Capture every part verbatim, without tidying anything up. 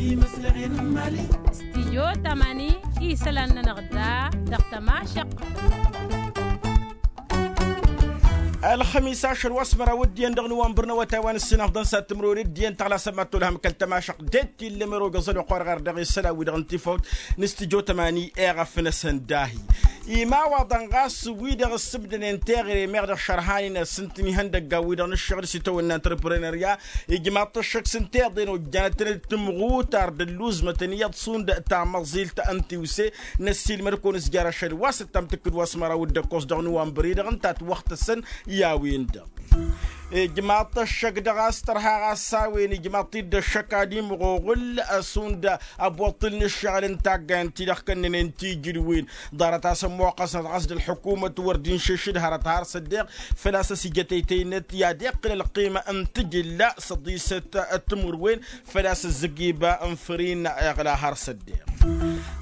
Stijyo tamani isălan-nănăɣ da dăɣ-tămašăq. Ălxămis ašăl wa s-măraw d-iyyăn dăɣ-nowănbăr n-awătay wa n-ǝssin ăfḍăn s-ad-tǝmrăwăn d-iyyăn taɣlasăm ad-tolhăm kăl-tămašăq d-e-t illa măroga ẓăl oqor ɣar dăɣ-e-s ălawi dăɣ-n tifawt n-stijyo tamani. Eɣăf n-asăn dahi imawaḍăn ɣas wi-dăɣ ǝssǝbdănen teɣăre meɣ dăɣ-šărhanen s-ǝntǝn ihăndăggan wi-dăɣ n-ǝššăɣǝl s-itawănna antreprenărya. Ijmaḍ-t ăššăk s-ǝnta iḍen ojjanăt-tăn-dd tǝmɣutar d-ălluẓmătăn iyyăḍ šund tamăẓilt n-tiwse. Năssiilmăd-kăwăn s-jer-ašăl wa s-ăttam tǝkkǝd wa s-măraw d-ăkkoẓ dăɣ-nowănbăr-i-dăɣ ǝnta a-t wăxtăsăn i-a-wen-dăɣ. Ijmaḍ-t ăššăk dăɣ-a-s tărha ɣas s-a-wen ijmaḍ-t-dd ăššăk ad-imɣuɣǝl šund ăboṭṭǝl n-ǝššăɣǝl n-taggayăn-ti-dăɣ kănnănen tijǝdwen. Ḍarăt-as ămmoqqăsnăt ɣas d-ălḥukumăt wăr dd-inšǝššǝd hărăt har s-ăddeɣ făl-a-s ăsijătăytăynăt i-ad-iqqǝl ălqima n-tijǝlla s-ăḍisăt timǝrwen. Făl-a-s ǝzzǝgiba n-făr-in iɣla har s-ăddeɣ.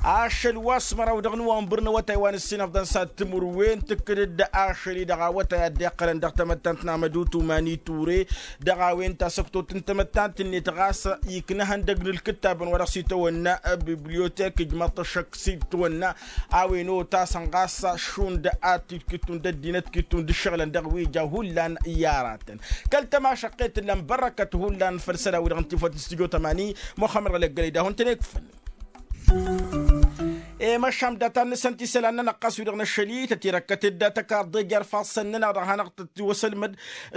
Ašăl wa s-măraw dăɣ-nowănbăr n-awătay wa n-ǝssin ăfḍăn s-ad-timǝrwen tǝkkǝd-dd ašăl-i-dăɣ awătay a dd-iqqălăn dăɣ-tamăttant n-amădut umani ture. Dăɣ-a-wen tasăktot n-tamăttant-net ɣas ikna ihăndăg n-ǝlkǝttabăn wa dăɣ-s itawănna bibliotek ijmăḍ-t ăššăk s-itawănna. A-wen otasăn ɣas šund ad-t-id-kittun d-ăddinăt kittun d-ǝššăɣǝlăn dăɣ-wi ja hullan i-aratăn. Kăl-tămašăqqet ǝllan bărrăkăt hullan făll-isălan-wi-dăɣ n-tifăt n-studyo tămani. Muxămmăd ɣălăggălăy d-ad-hun-tăn-ikfăn. I-măšan data-năsăn ti isălan-nănăɣ ɣas wi-dăɣ năššăl-i tătirăkkăt-dd tăkarḍe jer-ifassăn-nănăɣ dăɣ-hanăɣ-tăt-tiwăsălmăd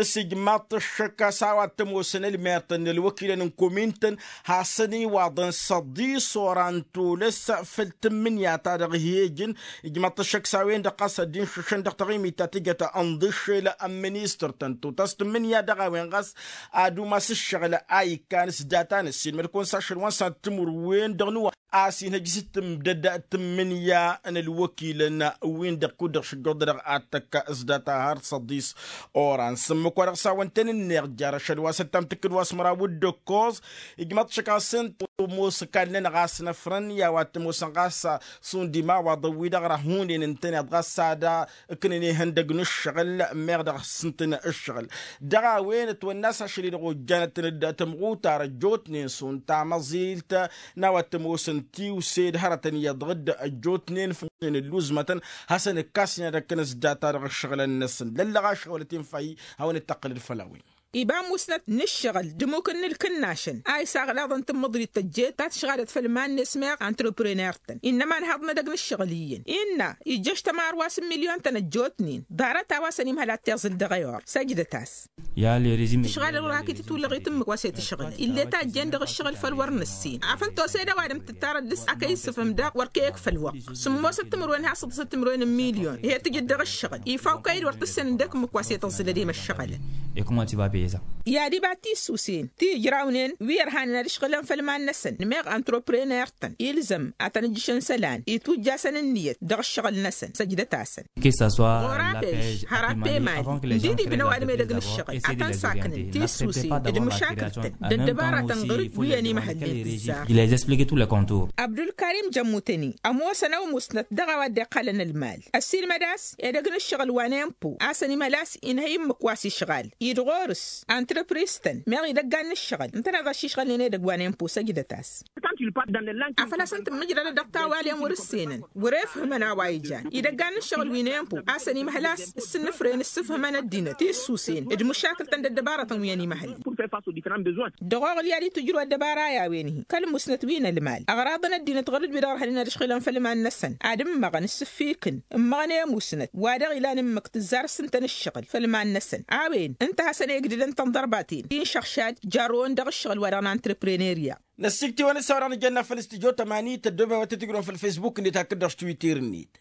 s-ijmaḍ-t ăššăk a-s a-wa t-ămoosăn ălmertăn n-ălwăkilăn n-komin-tăn. Hasăn-iwaḍăn s-ăḍis oran tolăs făll-tǝmmǝnǝya ta dăɣ-hi-ejǝn. Ijmaḍ-t ăššăk s-a-wen-dăɣ ɣas ad-dd-inšǝššăn dăɣ-taɣimit ta tǝjăt ănḍǝššel n-ministăr-tăn tutas tǝmmǝnǝya dăɣ-a-wen ɣas ad-umas ǝššăɣǝl a ikkan s-data-năssiilmăd-kăwăn s-ašăl wa n-săntimǝrwen dăɣ-nǝwăn a-s inhăj s-tǝmdăd tǝmmǝnǝya n-ălwăkilăn-win-dăɣ kud-dăɣ šǝjjuḍ-dăɣ ad-tăkk s-data har s-ăḍis oran s-ǝmmǝk wa dăɣ-s a-wăn tăn-ǝnneɣ jer-ašăl wa s-ăttam tǝkkǝd wa s-măraw d-ǝkkoẓ. Ijmaḍ-t ăššăk a-s ǝnta ămoos ǝkall-nănăɣ a-s năfrăn i-a-wa t-ămoosăn ɣas šund imawaḍăn wi-dăɣ răhunen ǝntăneḍ ɣas ad-ǝknăn ihăndăg n-ǝššăɣǝl meɣ dăɣ-s ǝntăn ǝššăɣǝl. Dăɣ-a-wen ătwănna a-s ašăl-i-dăɣ ojjanăt-tăn-dd tămɣutar ăjjootnen šund tamăẓilt n-a-wa t-ămoosăn tiwse d-hărătăn iyyăḍ dd-ăjjootnen fănnen ǝlluzmătăn. Hasăn-ǝkkasnen ad-ăkkăn s-data dăɣ-ǝššăɣǝlăn-năsăn lăllăɣ ašăwălăt infa-i. Hawăn-dd-tăqqǝlăd făll-a-wen. Iba musnăt n-ǝššăɣǝl d-ămmuk n-ǝlkǝnnašăn a isaɣlaḍăn tǝmmǝḍrit tăjjeet ta tǝšɣadăt făll-iman-net meɣ antreprenert-tăn innă ma ănhaḍăn edăgg n-ǝššăɣǝl iyyăn innă ijjăš tămarwas n-milyon-tăn ăjjootnen. Ḍarăt a-wa s-ănimhăl ad-t-iẓǝl dăɣ-ewăr săjdăt-as. Tǝšɣalăl wăr hakd titwǝllăɣit ǝmmǝk wa s-e-tǝšɣǝlăn ill'-e tajjen dăɣ-ǝššăɣǝl făll-wăr năssin afăl tose d-ăwadǝm tǝttarăt dăɣ-s akăy ǝssǝfhǝm daɣ wăr kăy-ăkf ălwăqq. Sǝmmosăt timǝrwen has-săḍǝsăt timǝrwen n-milyon ih'-e tǝjǝd dăɣ-ǝššăɣǝl ifaw kăy-dd wăr tǝssenăn d-ekǝmmǝk wa s-e-tǝẓẓǝlăd i-măššăɣălăn. I-ad-iba tisusen ti ǝjrawnen wi ărhanen ad-ǝšɣǝlăn făll-iman-năsăn n-meɣ antreprenert-tăn ilzăm ad-tăn-ǝjjǝšăn isălan itwǝjjasăn ǝnniyăt dăɣ-ǝššăɣǝl-năsăn săjdăt-asăn. Ɣur-apeš har apemali ǝndidibn ăwadǝm edăgg n-ǝššăɣǝl ad-tăn-saknăn tisusen d-măšakǝl-tăn d-ăddăbaratăn ɣǝr-dd wi ănimhălnen tǝzzar. Abdulkarim jămmutăni ămoosăn ăw musnăt dăɣ-a-wa dd-iqqălăn ălmal ăssiilmăd a-s edăgg n-ǝššăɣǝl wa n-empo a-s ănimhăl a-s inhăy ǝmmǝk wa s-išɣal id-ɣur-s antrăpris-tăn meɣ idăggan n-ǝššăɣǝl ǝntăneḍ a-s išɣălnen edăgg wa n-empo săjdăt-as. Afăl a-s ǝnta ǝmmǝjrădăt dăɣ-tawalen wăr-ǝssenăn wăr-efhǝmăn a-wa ijan idăggan n-ǝššăɣǝl wi n-empo a-s ănimhăl a-s s-ǝnnǝfren ǝssǝfhǝmăn ăddinăt tissusen d-măšakǝl-tăn d-ăddăbarătăn wi ănimhălnen. Dăɣ-oɣǝl i-ad-itwǝjrǝw ăddăbara i-a-wen-hi kăl-musnăt wi n-ălmal ăɣraḍăn ăddinăt ɣur-dd wi-dăɣ ărhănen ad-ǝšɣǝlăn făll-iman-năsăn ad-ǝmmăɣăn ǝssǝffikǝn ǝmmăɣăn i-musnăt wa dăɣ-ilan ǝmmǝk tǝzzar s-ǝnta n-ǝššăɣǝl făll-iman-năsăn a-wen ǝnta a hasăn-egdǝdăn tănḍărbaten ti n-išăɣšad jarrăwăn dăɣ-ǝššăɣǝl wa dăɣ-n antreprenărya. Năssikt'-iwăn s-a-wa dăɣ-nǝjănna făll-studyo tămani tăddoobem wa tăt-ǝjrǝwăn făll-facebook-net hakd dăɣ-s twitter-net.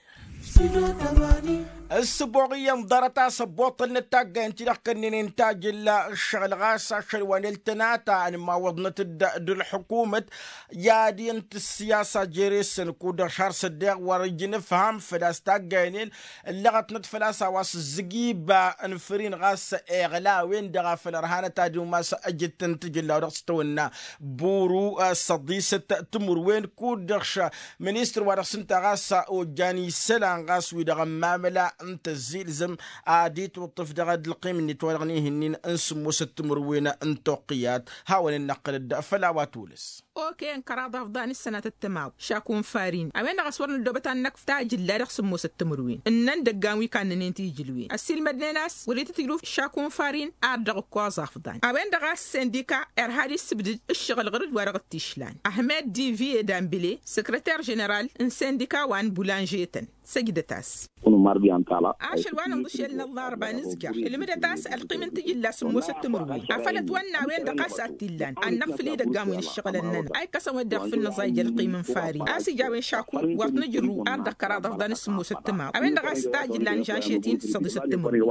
Ǝssǝboɣ iyyăn ḍarăt a-s ăbboṭṭălnăt taggayen-ti-dăɣ kănnănen tajǝlla ǝššăɣǝl ɣas ašăl wa n-ăltănata ănmawăḍnăt-dd d-ălḥukumăt. I-ad-int ǝssiyasa jere-săn kud-dăɣ šar s-ăddeɣ wăr-ǝjǝn ǝfham făl-a-s taggayen-en ǝllăɣătnăt făl-a-s a-wa s-ǝzzǝg iba n-făr-in ɣas iɣla a-wen-dăɣ a făl ărhanăt ad-umas ăjǝttăn tijǝlla wa dăɣ-s tăwănna buru s-ăḍisăt timǝrwen kud-dăɣ š-ministăr wa dăɣ-s ǝnta ɣas ojjan isălan. ɣas wi-dăɣ ămmamǝla n-tăzzilzǝm ad-itwǝṭṭǝf dăɣ-dd-ălqim-net wa dăɣ-nihǝnnin n-sǝmmosăt timǝrwen n-toqqǝyat. Hawăn-in-năqqǝlăd făll-a-wa tolăs. Oke n-kăraḍ afḍan s-sănatăt timaḍ šaku n-farin a-wen-dăɣ a-s wăr năddoobăt ad-năkf tajǝlla dăɣ-sǝmmosăt timǝrwen ǝnnăn dăggan wi kannănen tijǝlwen ăssiilmădnen a-s wăr-itǝtjǝlu šaku n-farin. Ar dăɣ-ǝkkoẓ afḍan a-wen-dăɣ a-s sindika irha ad-issǝbdǝd ǝššăɣǝl ɣur-dd wa dăɣ-t-išlan ahmed diviye dambile săkrăter ženeral n-sindika wa n-bulanže-tăn. Săjdăt-as. Ašăl wa nǝnḍǝšel n-ăllarba nǝzjăr ǝlmǝdăt a-s ălqim n-tijǝlla sǝmmosăt timǝrwen afăl ătwănna a-wen-dăɣ a-s ad-t-illan ad-năɣfǝl idăggan wi n-ǝššăɣǝlăn-nănăɣ a ikkăsăn wa dd-iɣfǝl nǝẓay j-ălqim n-farin a-s ija a-wen šaku wăr t-nǝjrǝw ar dăɣ-kăraḍ afḍan s-sǝmmosăt timaḍ a-wen-dăɣ a-s tajǝlla n-žănšet-in săḍisăt timǝrwen.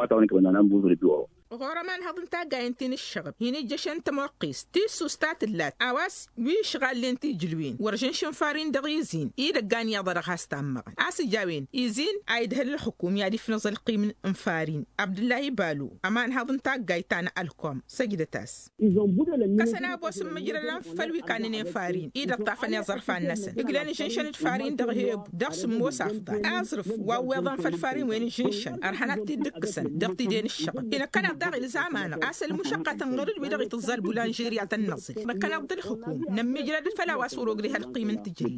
Ɣur-ămanhăḍ n-taggayen ti n-ǝššăɣǝb hin-ijjăšăn tămoqqest tissust ta tǝllat a-wa s-wi ǝšɣallen tijǝlwen wăr žănšăn farin dăɣ-izin idăggan iyyăḍ a dăɣ-has-tammăɣăn a-s ija a-wen izin a idhăl ǝlxǝkum i-ad-ifnăẓ ălqim n-farin. Abdǝllahi balu ămanhăḍ n-taggayt ta n-ălkom săjdăt-as. Ǝkkăsăn abo s-ǝmmǝjrălăn făll-wi kannănen farin-i d-ăṭṭafăn iẓărfan-năsăn ǝglan ǝžǝnšăn d-farin dăɣ-hebu dăɣ-sǝmmos afḍal aẓrǝf wa ǝwweḍăn făll-farin wen ǝžǝnšăn ărhănăt-t-dd-ǝkkǝsăn dăɣ-tide n-ǝššăɣǝl. Inăkkăneḍ daɣ ilzam-anăɣ a-s ălmušăqqatăn ɣur-dd wi-dăɣ itǝẓẓa ălbulanžerya tăn-năẓǝl năkkăneḍ d-ǝlxǝkum nămmiijrăd făll-a-wa s-wăr-ogre hălqim n-tijǝlli.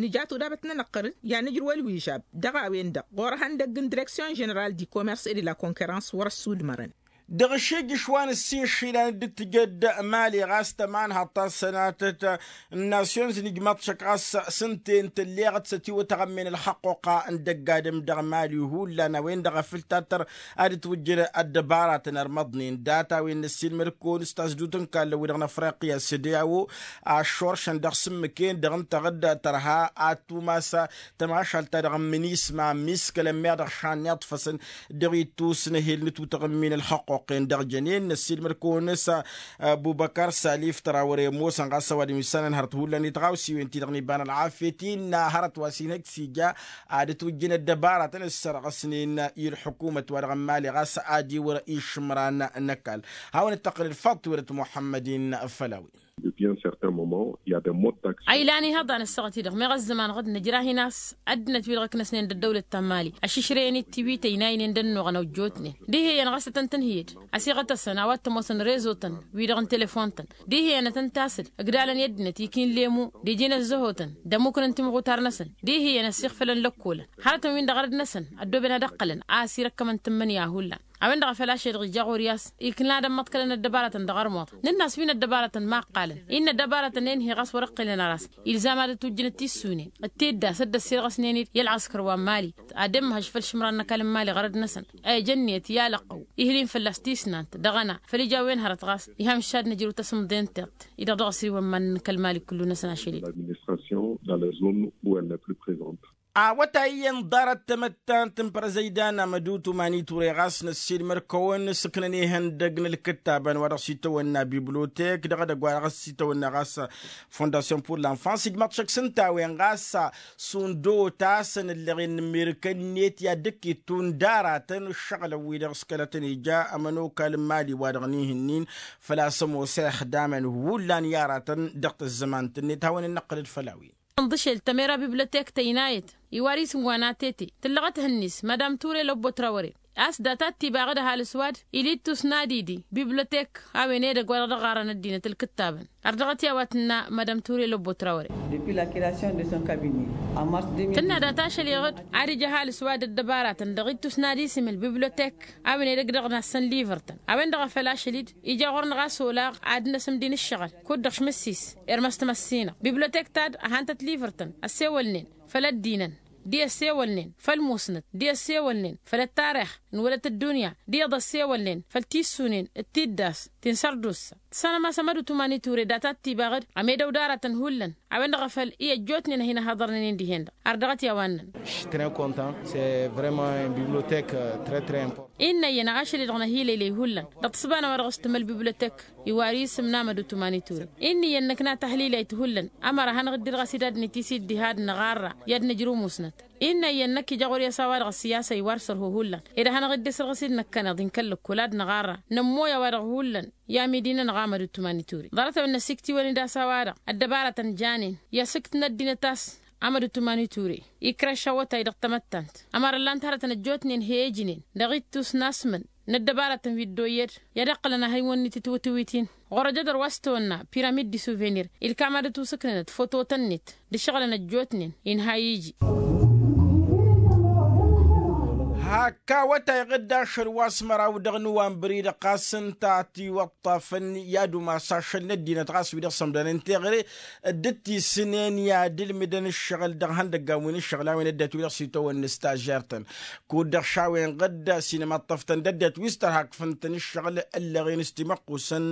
Nǝja tudabăt-nănăɣ ɣur-dd i-ad-nǝjrǝw ălwižab dăɣ-a-wen-dăɣ ɣur-ehăndăgg n-direksyon ženeral di komers e de la konkerăns wăr-ăssudmărăn. Dăɣ-ašejjǝš wa n-ǝssin išilan dd-tǝjăd mali ɣas tămanhaḍt ta s-sănatăt n-nasyonz n-ijmaḍ šăkk ɣas s-ǝnta-en tǝlleɣăt s-ătiwăt aɣămmen ălxăqquqa n-dăgg-adǝm dăɣ-mali hullan a-wen-dăɣ a făl tattăr ad-ǝtwǝjjăn ăddăbaratăn ărmăḍnen data-wen n-ăssiilmăd-kăwăn s-tasdut n-kallăn-wi-dăɣ n-afriqya s-ădyawo a ăššoršăn dăɣ-sǝmmǝk-en-dăɣ ǝnta ɣǝd tărha ad-tumas tămašalt-ta-dăɣ n-minisma miskălăn meɣ dăɣ-šanniḍ făsăn dăɣ-ittus n-ehel n-tutăɣ n-imin ălxăqquq-en dăɣ-jănen năssiilmăd-kăwăn s-abubăkar salif tăra wăr-e ămoosăn ɣas ăwadǝm issanăn hărăt hullan i-tiɣawsiwen-ti-dăɣ n-iba n-ălɣafyăt innă hărăt wa s-inhăj s-ija ad-ǝtwǝjjǝn ăddăbaratăn ǝssărɣăsnen i-ălḥukumăt-wa-dăɣ n-mali ɣas ad-iwǝr išǝmran n-ăkall. Hawăn-dd-tăqqǝlăd faḍt-werăt muḥămmăd-in făll-a-wen. Depuis un certain moment il y a des modes d'action. A ilan ihăḍan ăssaɣăt-i-dăɣ meɣ ăzzăman ɣǝd nǝjrah-in a-s ăddinăt-wi-dăɣ ǝknăsnen d-ăddăwlăt ta n-mali ăššǝšrăyăn-dd tiwităy n-aynen d-ănnuɣăn ăwjotnen dihen ɣas ad-tăn-tǝnhǝyăd ăsiɣăt-asăn a-wa t-ămoosăn rezo-tăn wi-dăɣ n-telefon-tăn dihen ad-tăn-tasǝl ǝgdalăn i-ăddinăt ikin lemu d-iji n-ăzzăhotăn d-ămmuknăn timɣutar-năsăn dihen ăsiɣfălăn lăkkolăn hărătăn-win-dăɣ arăd-năsăn ăddooben ad-ăqqălăn a-s irăkkămăn tǝmmǝnǝya hullan. A-wen-dăɣ a făl ašăl-dăɣ ija ɣur-i a-s ikna d-ămmăḍkălăn ăddăbaratăn dăɣ-armuḍ nǝnn'-as wi n-ăddăbaratăn ma ǝqqalăn innă ăddăbaratăn-en hi-ɣas wăr-ǝqqǝlăn ar a-s ilzam ad-ătwǝjjǝnăt tissunen d-tiddas dd-ăssirɣăsnen-dd i-ălɣăskăr wa n-mali ad-ămmăhăž făll-išǝmran n-ăkall n-mali ɣărăd-năsăn. Ej ănniyăt i-alăqqăw ihǝl-in fălla-s tisnant dăɣ-ăna făl ija a-wen hărăt ɣas iham šad nǝjrǝw tasǝmḍe n-tiṭṭ-i-dăɣ dăɣ-s iwămman n-ăkall mali kullu-năsăn ašăl-dd. L'administration dans la zone où elle n'est plus présente. Awătay iyyăn ḍarăt tamăttant n-părăzăydan amădutu maniture ɣas năssiilmăr-kăwăn s-ǝknăn ihăndăg n-ǝlkǝttabăn wa dăɣ-s itawănna biblotek dăɣ-edăgg wa dăɣ-s itawănna ɣas fondasyon pur lanfans ijmăḍ šăkk s-ǝnta a-wen ɣas šund otasăn ǝlleɣ-in n-amerika-net i-ad-dd-ǝkkittun d-aratăn ǝššăɣǝlăn-wi-dăɣ s-kăla tăn-ija ămănokal n-imali wa dăɣ-nihǝnnin făl-a-s ămoos ixdamăn hullan i-aratăn dăɣ-tăzzămant-net hawăn-in-năqqǝlăd făll-a-wen. Ănḍǝšel tămera bibliotek tăynayăt iwar isǝm wa n-atete tǝllăɣăt hǝnnis madam ture lăbbotrawăre a-s data d-tibaɣ d-ăhalǝs wa d-ili d-tusna d-idi bibliotek a-wen edăgg wa dăɣ-dăɣ ɣarăn ăddinăt ǝlkǝttabăn. Ărdăɣăt i-a-wa tǝnna madam ture lăbbotrawăre. Depuis la creation de son cabinet en mars deux mille dix-huit tǝnna data ašăl-i-dăɣ ad-ija ăhalǝs wa d-ăddăbaratăn dăɣ-i d-tusna d-isǝm ălbibliotek a-wen edăgg dăɣ-nassăn livăr-tăn a-wen-dăɣ a făl ašăl-dd ija ɣur-năɣ a-s olaɣ ad-năsǝmdin ǝššăɣǝl kud-dăɣ šmǝssis irmăs timăssinăɣ bibliotek-ta-dd ăhantăt livăr-tăn ăssewălnen făll-ăddinăn d-i ăssewălnen făll-musnăt d-i ăssewălnen făll-ăttarix n-wălăt ăddunya d-iyyăḍ ăssewălnen făll-tissunen d-tiddas ti n-sărdussa. Tǝssanăm a-s ămădutum a n-iture data d-tibaɣ-dd ămedăw d-aratăn hullan a-wen-dăɣ a făl i-ăjjootnen a hin-ăhaḍărnen-in dihen-dăɣ. Ardăɣăt i-a-wa ǝnnăn. Š-très content, c'est vraiment un bibliothèque très très important. Innă iyyăn ašăl-i-dăɣ năhiilăylăy hullan dăɣ-tǝssǝba n-a-wa dăɣ-s tǝmăl bibliotek iwar isǝm n-amădutum a n-iture. Innă iyyăn năkna tahlilayt hullan ămăra hanăɣ-dd-irɣăs-dd ad-nǝtis-dd diha ad-năɣarra i-ad-nǝjrǝw musnăt. Innă iyyăn năkk ija ɣur-i a-s a-wa-dăɣ ăssiyasa iwar sărho hullan ed ad-hanăɣ-dd-isǝrɣǝs-dd năkkăneḍ inkăl lăkkol ad-năɣarra nămmoy a-wa-dăɣ hullan i-amidi-nănăɣ amădutum a n-iture. Ḍarăt-a-wen năsiktiwăn-dd a-s a-wa-dăɣ ăddăbarătăn janen i-asǝkt n-ăddinăt a-s Amădut umani ture ikrăš awătay dăɣ-tamăttant ămărăn lan-t hărătăn ăjjootnen he-ejnen dăɣ-ittus n-asmǝn n-ăddăbaratăn wi dd-oyyăd i-ad-iqqălăn ahăywăn-net i-tiwǝtǝwit-in. Ɣur-ăjădăr wa s-tawănna piramid di suvenir ilkam ad-ătusǝknănăt fototăn-net d-ǝššăɣǝlăn ăjjootnen. Inha iji. Hak awătay ɣǝdda ašăl wa s-măraw dăɣ-nǝwanbări-dăɣ ɣas ǝnta a tiwăṭṭafăn i-ad-umas ašăl n-ăddinăt ɣas wi-dăɣ sămdănen teɣăre dd-tisǝnen i-ad-ǝlmǝdăn ǝššăɣǝl dăɣ-ihăndăggan wi n-ǝššăɣǝl a-wen ăddinăt wi-dăɣ s-itawănna s-tažžert-tăn. Kud-dăɣ šawen ɣǝdda s-inăm ad-t-ăftăn d-ăddinăt wi s-tărhakfăn-tăn ǝššăɣǝl ǝllăɣen s-timăqqusăn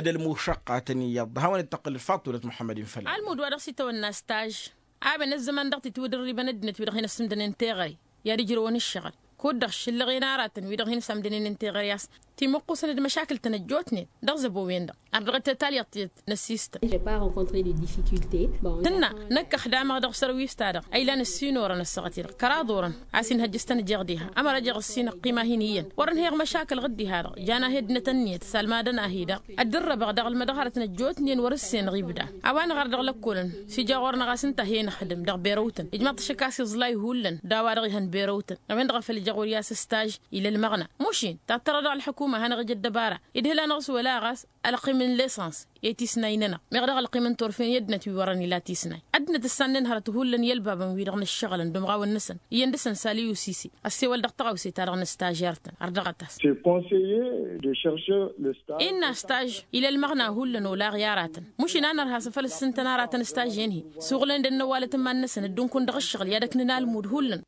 d-ălmušăqqatăn iyyăḍ hawăn-dd-tăqqǝl d-faṭulăt muḥămmăd-in făll-a-wen. Almud wa dăɣ-s itawănna s-taž a-wen ăzzăman dăɣ-titwǝdǝrribăn ăddinăt wi-dăɣ hin-ăssǝmdănen teɣăre i-ad-ǝjrăwăn ǝššăɣǝl kud-dăɣ šǝllăɣen aratăn wi-dăɣ hin-sămdănen n-teɣăre a-s timǝqqusăn d-măšakǝl-tăn ăjjootnen dăɣ-zăbo-wen-dăɣ. Ardăɣăt talyăḍt tiyyăt n-ăssistăn. Tǝnna năkk ăxdamăɣ dăɣ-sărwis-ta-dăɣ a ilan ǝssin orăn ăssaɣăt-i-dăɣ kăraḍ orăn a-s inhăjjăs-tăn ăjeɣ diha ămăra jeɣ ǝssin ăqqima hin-iyyăn wăr-ănhăyăɣ măšakǝl ɣǝd-diha-dăɣ. Jan aheddinăt ǝnniyăt salmadăn-ahi-dăɣ ăddǝrrăbăɣ dăɣ-ălmădăɣărăt n-ăjjootnen wăr-ǝssen ɣibda. A-wa năɣar dăɣ-lăkkolăn s-ija ɣur-năɣ a-s ǝnta a he-năxdǝm dăɣ-berăwtăn ijmaḍ-t ašăk a-s iẓlay hullan d-a-wa-dăɣ ihăn berăwtăn. A-wen-dăɣ a făl ija ɣur-i a-s ǝstaj ila ălmăɣna mušin tattărăd dăɣ-ălḥăkuma a hanăɣ-ija ăddăbara idhǝl-anăɣ s-wăla ɣas ălqim n-lesăns i-tisnay-nănăɣ. Meɣ dăɣ-ălqim n-turfen i-ăddinăt wi wărăn ila tisnay ăddinăt ǝssannen hărăt hullan i-ălbabăn-wi-dăɣ n-ǝššăɣǝlăn d-umɣawăn-năsăn iyyăn dăɣ-săn sali usisi. Ăssewăl dăɣ-tăɣawse-ta-dăɣ n-ăstaj ertăn ărdăɣăt-as. Inna ăstaj ila ălmăɣna hullan olaɣ i-aratăn mušin a nărha s-afăl ǝssǝntăn aratăn ăstaj-en-hi suɣǝlăn-dd ănnăwalăt n-iman-năsăn dd-unkun dăɣ-ǝššăɣǝl i-ad-ăknǝn almud hullan.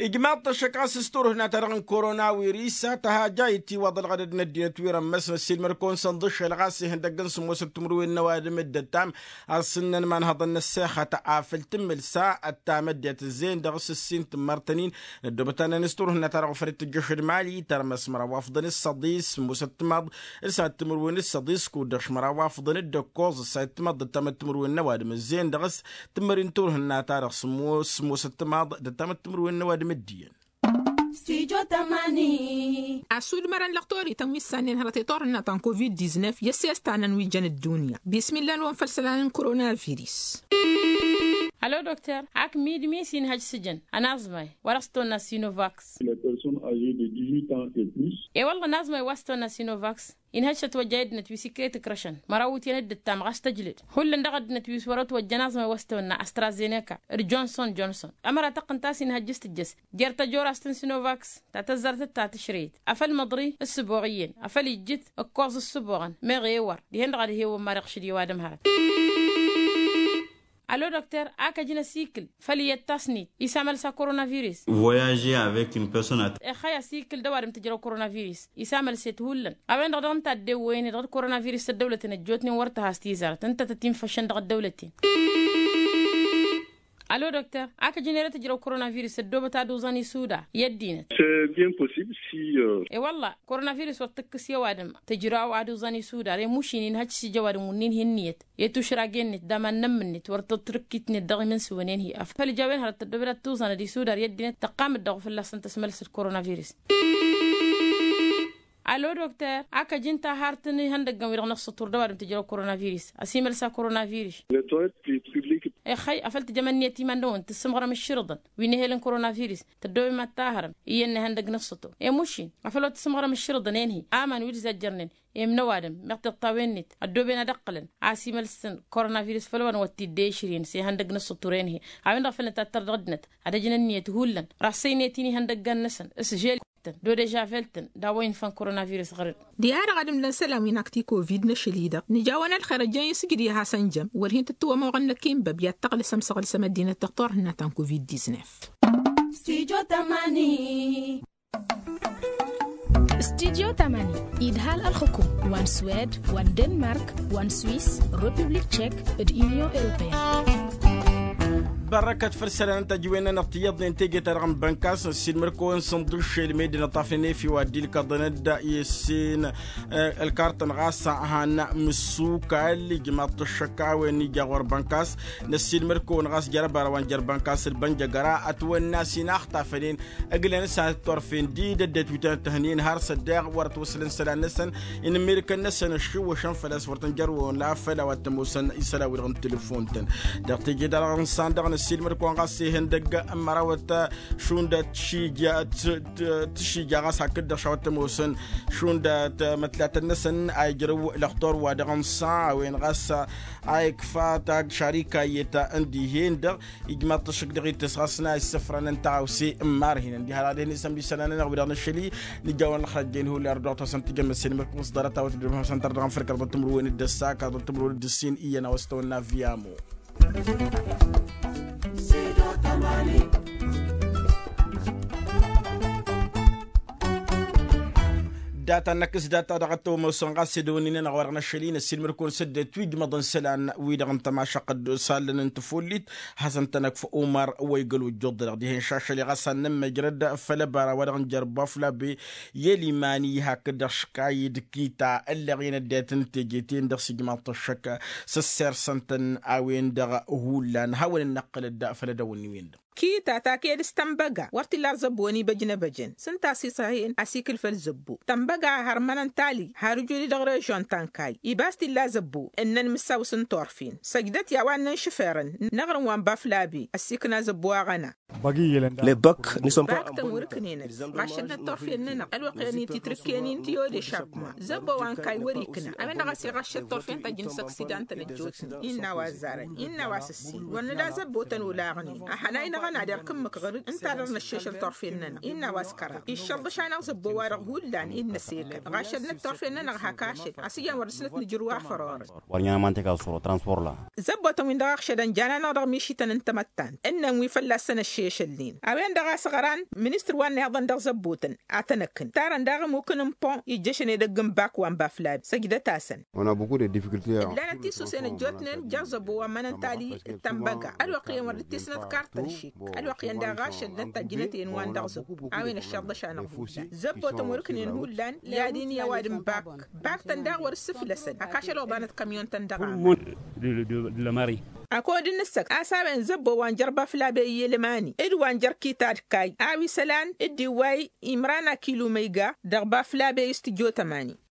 Ijmaḍ-t ăššăk ɣas s-turhǝnna-ta-dăɣ n-korona wirisa tăhajay itiwăḍăl ɣădăd n-ăddinăt wi rămmăs n-ăssiilmăr-kăwăn-săn ḍǝššel ɣas ihăndăgg n-sǝmmosăt timǝrwen n-ăwadǝm dd-ăttam. Asǝnnăn imanhăḍăn n-ăssexăt afăl tǝmmǝl sa ăttam ăddinăt ǝzzeyăn dăɣ-s ǝssin tǝmmărtăn-in. Ăddoobăt-anăn s-turhǝnna-ta-dăɣ ofăl t-tǝjjăšăd mali tărmăs măraw afḍăn s-săḍis sǝmmosăt timaḍ d-sănăt timǝrwen d-săḍis kud-dăɣ šmăraw afḍăn d-ăkkoẓ ǝssayăt timaḍ d-ăttam d-timǝrwen n-ăwadǝm ǝzzeyăn dăɣ-s tǝmmări n-turhǝnna-ta-dăɣ sǝmmosăt timaḍ d-ăttam d-timǝrwen n-ăwadǝm ǝddiyăn. Stujo tamani. Asudmărăn lăqtorităn wi s-sannen hărăt i-turhǝnna ta n-covid-diznef i-ăssestan n-wi jăn ăddunya bismillah n-wăn făll-isălan n-koronavirus. Alo dokter ak mid-mi s-inhăj s-jăn ănaẓmay wa dăɣ-s tăwănna sinovaks. I-wălla ănaẓmay wa s-tăwănna sinovaks inhăj s-ătwăjja i-ăddinăt wi s-ikret ǝkrăšăn măraw iwǝtyan dd-ǝttam ɣas tăjlǝd. Hullan dăɣ-ăddinăt wi s-wăr-ătwăjja ănaẓmay wa s-tăwănna astrazeneka d-jonson jonson. Ămăra tăqqǝnt a-s inhăjjǝs tǝjjăs jer-tăjorast n-sinovaks ta tăzzarăt d-ta tǝšreyăt afăl măḍri ǝssǝboɣ iyyăn afăl ijjǝt ǝkkoẓ ǝssǝboɣăn meɣ ewăr dihen-dăɣ ad-hewăn mad-iɣšǝd i-ăwadǝm hărăt. Alo dokter ak ăjǝn asikǝl făll-iyyăt tasnit isamălsa koronavirus. Voyager avec une personne at. Ixxăy asikǝl d-ăwadǝm tǝjrăw koronavirus isamălset hullan. A-wen-dăɣ dăɣ-ǝnta a dd-ewwăyăn-i dăɣ-koronavirus ăddăwlăten ăjjootnen wăr tăhas tizart ǝnta tăt-infăšăn dăɣ-ăddăwlăten. Alo dokter ak ăjǝn ere tǝjrăw koronavirus ăddoobăt ad-uẓăn isuda i-ăddinăt. I-wălla koronavirus wăr tǝkkǝs i-ăwadǝm tǝjraw ad-uẓăn isuda remušin inhăj s-ija ăwadǝm wǝnnin hi-ǝnniyăt i-tušrag-en-net d-aman n-ămmǝn-net wăr tăt-tǝrǝkkit-net dăɣ-imǝnsǝwăn-en-hi afăl ija a-wen hărăt tăddobed ad-tuẓăn ad-isudar i-ăddinăt tăqqam-dd dăɣ-u fălla-săn tăsmălsăd koronavirus. Alo dokter ak ăjǝn tahart n-ihăndăggăn wi-dăɣ n-ăṣṣătur d-ăwadǝm tǝjrăw koronavirus ăsimălsa koronavirus. Ixxăy afăl tǝjăm ǝnniyăt iman-năwăn tǝssǝmɣărăm ǝššǝrǝḍăn wi n-ehel n-koronavirus tăddobem ad-tahărăm iyyăn n-ihăndăgg n-ăṣṣătur i-mušin afăl wa tǝssǝmɣărăm ǝššǝrǝḍăn-en-hi aman wi d-zajjărnen i-imnăwadǝm meɣ tiṭṭawen-net ăddooben ad-ǝqqǝlăn a-s imălsăn koronavirus făll-wăn wăr t-dd-e išrǝyăn s-ihăndăgg n-ăṣṣăturen-hi. A-wen-dăɣ făl nǝtattăr dăɣ-ăddinăt ad-ăjǝn ǝnniyăt hullan rasăynăyăt-in ihăndăggan-năsăn s-žel-tăn d-odăžavelt-tăn d-a-wa infăn koronavirus ɣăr-dd. Diha-dăɣ ad-ǝmdăn isălan wi n-akti covid n-ašăl-i-dăɣ nǝja-wăn ălxer ăjjăyăn s-ǝjrǝy a hasăn-jăm wăr hin-tǝttǝwămoɣăn năkk inbăb i-ad-tăɣlǝsăm s-aɣlǝsăm ăddinăt dăɣ-turhǝnna ta n-covid-diznef. Stujo tamani. Stujo tamani idhal ălxǝkum wa n-swed wa n-denmark wa n-swis, republik tchek d-union europeyăn. Bărrăkăt făll-isălan n-tăjwen-nănăɣ tiyyăḍnen teje-ta-dăɣ n-bănkas ăssiilmăr-kăwăn sănḍǝššel med-dăɣ n-ăṭṭafnen efew ad-dd-ilkăḍăn-dd i-ǝssin. Ălkartăn ɣas a han mǝssukal ijmaḍ-t ăššăk a-wen ija ɣur-bănkas. Năssiilmăr-kăwăn ɣas jer-ăbara wa n-jer-bănkas d-bănjăgăra ătwănna s-inaxtafănen ǝglăn s-ad-t-orfen d-dd-ătwǝtăn ăttăhnen har s-ăddeɣ wăr ătwăslăn isălan-năsăn. Inǝmmirǝkăn-năsăn ăššiwwăšăn făl-a-s wăr tăn-jărwăwăn la făl a-wa t-ămoosăn isălan-wi-dăɣ n-telefon-tăn. Dăɣ-teje-ta-dăɣ n-san dăɣ-nǝ Silmăr-kăwăn ɣas ihăndăgg n-mărawăt šund tišija ɣas hakd-dăɣ šawăt tămoosăn šund mătlatăn-năsăn a ijrăw lăxtor wa dăɣ-nǝssa a-wen ɣas a ikfa tagg šarika iyyăt n-dihen-dăɣ. Ijmaḍ-t ăššăk dăɣ-itǝs ɣas n-a issăfrăn n-taɣawse n-marhinăn diha-dăɣ dehăn isămd isălan-nănăɣ wi-dăɣ nǝššăl-i. Nǝjawăn ălxăjjăyăn hullan dăɣ-tawăsăn tijămmăsen imǝrkǝm s-ḍarăt a-wa tǝdrǝm hasăn-tăr dăɣ-afrika dăɣ-tǝmrǝwen d-ăssa kaḍ tǝmrǝwen d-ǝssin iyyăn a-wa s-tawănna viamo. Data n-akǝs data dăɣ-ăttăwămosăn ɣas edăwănnin-anăɣ wa dăɣ-năššăl-i n-ăssiilmăd-kăwăn săddăt wi ǝjmăḍăn isălan wi-dăɣ n-tămašăqqăd s-allăn n-tăfollit. Hasăn-tăn-ăkf umăr wa igăl ojjuḍ-dăɣ dihen šašăl i-ɣas ad-nǝmmăjrăd făll-ăbara wa dăɣ-nǝjărba flabe i-ălimani hakd-dăɣ škayǝd kita ǝlleɣ-in ăddinăt n-teje-ten-dăɣ s-ijmaḍ-t ăššăk. S-ăssirsăn-tăn a-wen-dăɣ hullan hawăn-dd-năqqǝlăd făll-edăwănni-wen-dăɣ. Kita ta ked s-tănbăga wăr t-illa ar zăbbo-ni băjnăbăjăn s-ǝnta a-s iṣăhăyăn a-s ikǝl făll-zăbbo tănbăga a hărmănăn tali har ǝjud-i dăɣ-režion ta n-kayy. Ibas t-illa zăbbo ǝnnăn mǝssaw s-ǝntorfen săjdăt i-a-wa ǝnnăn šǝferăn n-aɣrǝm wa n-baflabe ăssiikna zăbbo aɣăna. Bak-tăn wăr-ǝknenăt ɣašăt n-ăṭṭorfen-nănăɣ ălwăqq-en-i titrǝkken-in tiode šakkuma zăbbo wa n-kayy wăr-ikna a-wen-dăɣ a-s iɣăššăt ṭṭorfen ta jǝnǝs ăksidantăn ăjjootnen innă a-wa ăzzarăn innă a-wa s-ǝssin wăr nǝda zăbbo tăn-olaɣnen. Ăhănay-năɣ ănadăɣ kǝmmǝk ɣăr-dd ǝnta a dăɣ-năššešăl ṭṭorfen-nănăɣ innă a-wa s-kăraḍ iššălḍăš-anăɣ zăbbo-wa-dăɣ hullan i-dd-năsekăl ɣašăl n-ăṭṭorfen-nănăɣ hak ašăl a-s iyyăn wăr dăr-snăt nǝjrǝw afăr orăt. Wăr ǝnyan ămantek a-s wăr-ătranspor la. Zăbbotăn-win-dăɣ ăɣšădăn jan-anăɣ dăɣ-mišităn n-tamăttant ǝnnăn wi fălla-săn ăššešălnen a-wen-dăɣ a-s ɣăran ministăr wa n-ihaḍăn dăɣ-zăbbotăn a tăn-ăkkǝn tarăn daɣ ămukǝn n-pon ijjăšăn edăgg n-bak wa n-baflad săjdăt-asăn. Ǝllanăt tisusen ăjjootnen jer-zăbbo wa n-mănăntali d-tănbăga ălwăqq-iyyăn wăr dd-tisnăt kartăn šik ălwăqq-iyyăn daɣ ašăl n-ăttajjǝnăt-en wa n-dăɣ-zăbbo a-wen ăššăḍăš-anăɣ hullan. Zăbbotăn wăr-ǝknen hullan i-ad-in i-ăwadǝm bak bak-tăn daɣ wăr-ǝssǝflăsăn hak ašăl oḍanăt kămyon-tăn dăɣ-aman. Ăkod n-ǝssăk a-s a-wen zăbbo wa n-jer-baflabe i-ălmani d-wa n-jer-kita d-kayy a-wa isălan d-iwway imran akilu măyga dăɣ-baflabe i-s tǝjjo tămani.